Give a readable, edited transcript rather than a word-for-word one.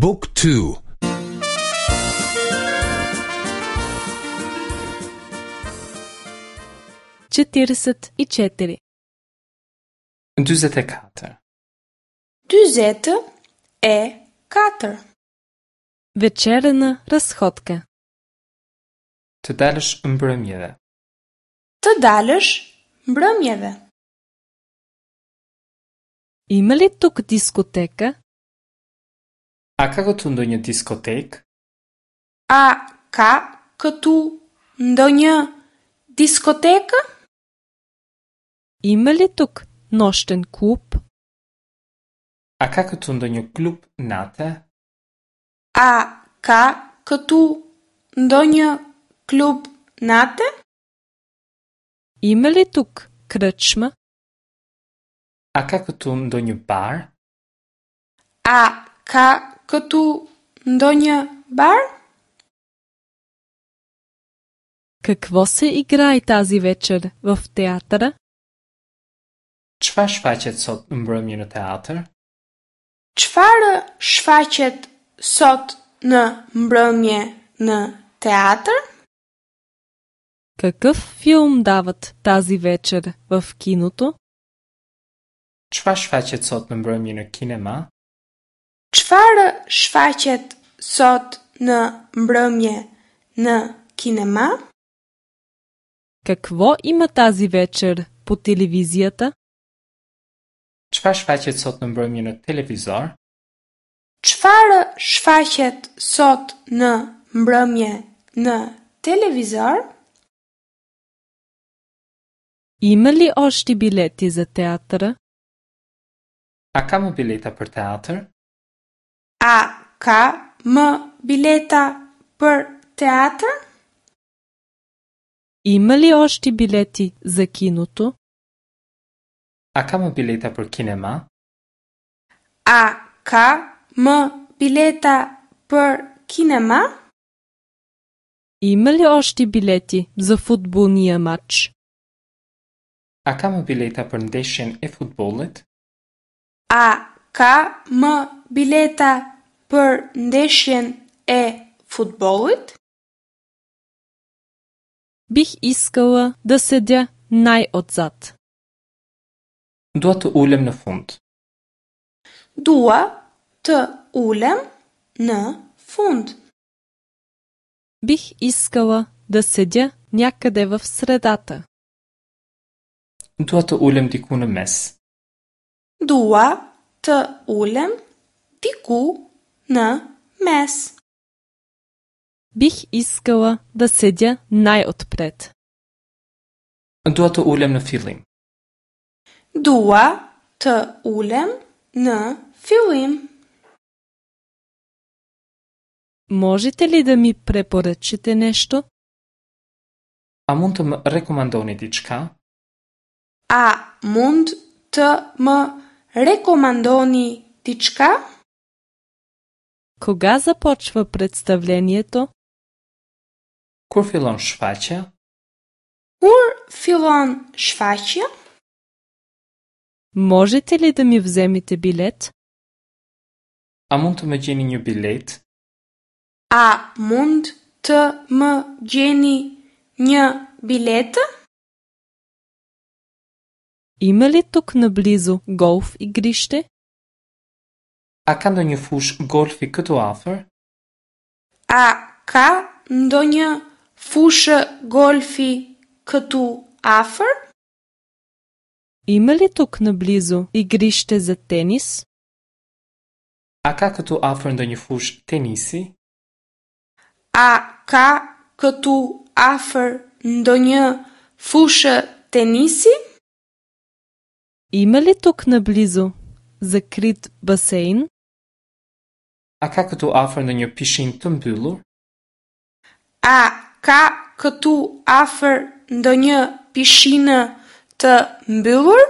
บุ๊กทู 44. 44. 44. Вечерна разходка. Të dalësh mbrëmjeve. Të dalësh mbrëmjeve. Има ли тук дискотека? A ka këtu ndonjë diskotekë? A ka këtu ndonjë diskotekë? Има ли тук нощен клуб? A ka këtu ndonjë klub nate? A ka këtu ndonjë klub nate? Има ли тук кръчма? A ka këtu ndonjë bar? A ka këtu ndonjë bar? Какво се играе тази вечер в театъра? Çfarë shfaqet sot në mbrëmje në teatr? Çfarë shfaqet sot në mbrëmje në teatr? Какъв филм дават тази вечер в киното? Çfarë shfaqet sot në mbrëmje në kinema? Çfarë shfaqet sot në mbrëmje në kinema? Какво има тази вечер по телевизията? Çfarë shfaqet sot në mbrëmje në televizor? Çfarë shfaqet sot në mbrëmje në televizor? Има ли още билети за театъра? A ka më bileta për teatr? A ka më bileta për teatr? Има ли още билети за киното? A ka më bileta për kinema? A ka më bileta për kinema? Има ли още билети за футболния мач? A ka më bileta për ndeshjen e futbollit? A ka më bileta për ndeshjen e futbollit? Бих искала да седя най-отзад. Dua të ulem në fund. Dua të ulem në fund. Бих искала да седя някъде в средата. Dua të ulem diku në mes. Dua të ulem diku në mes. Бих искала да седя най-отпред. Dua të ulem në fillim. Dua të ulem në fillim. Можете ли да ми препоръчате нещо? A mund të më rekomandoni diçka? A mund të më rekomandoni diçka? Кога започва представлението? Kur fillon shfaqja? Kur fillon shfaqja? Можете ли да ми вземете билет? A mund të më gjeni një bilet? A mund të më gjeni një biletë? Има ли тук наблизо голф игрище? A ka ndonjë fushë golfi këtu afër? A ka ndonjë fushë golfi këtu afër? Има ли тук наблизо игрище за тенис? A ka këtu afër ndonjë fushë tenisi? A ka këtu afër ndonjë fushë tenisi? Има ли тук наблизо закрит басейн? A ka këtu afër ndonjë pishinë të mbyllur? A ka këtu afër ndonjë pishinë të mbyllur?